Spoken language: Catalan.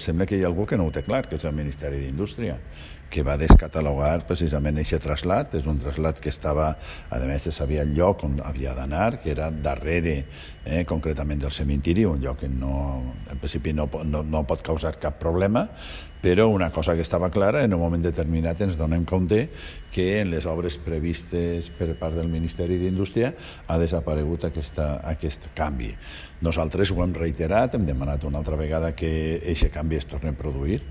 Sembla que hi ha algú que no ho té clar, que és el Ministeri d'Indústria, que va descatalogar precisament aquest trasllat. És un trasllat que estava, a més, se sabia el lloc on havia d'anar, que era darrere, concretament del cementiri, un lloc que en principi no pot causar cap problema, però una cosa que estava clara, en un moment determinat ens donem compte que en les obres previstes per part del Ministeri d'Indústria ha desaparegut aquest canvi. Nosaltres ho hem reiterat, hem demanat una altra vegada que aquest canvi es torni a produir,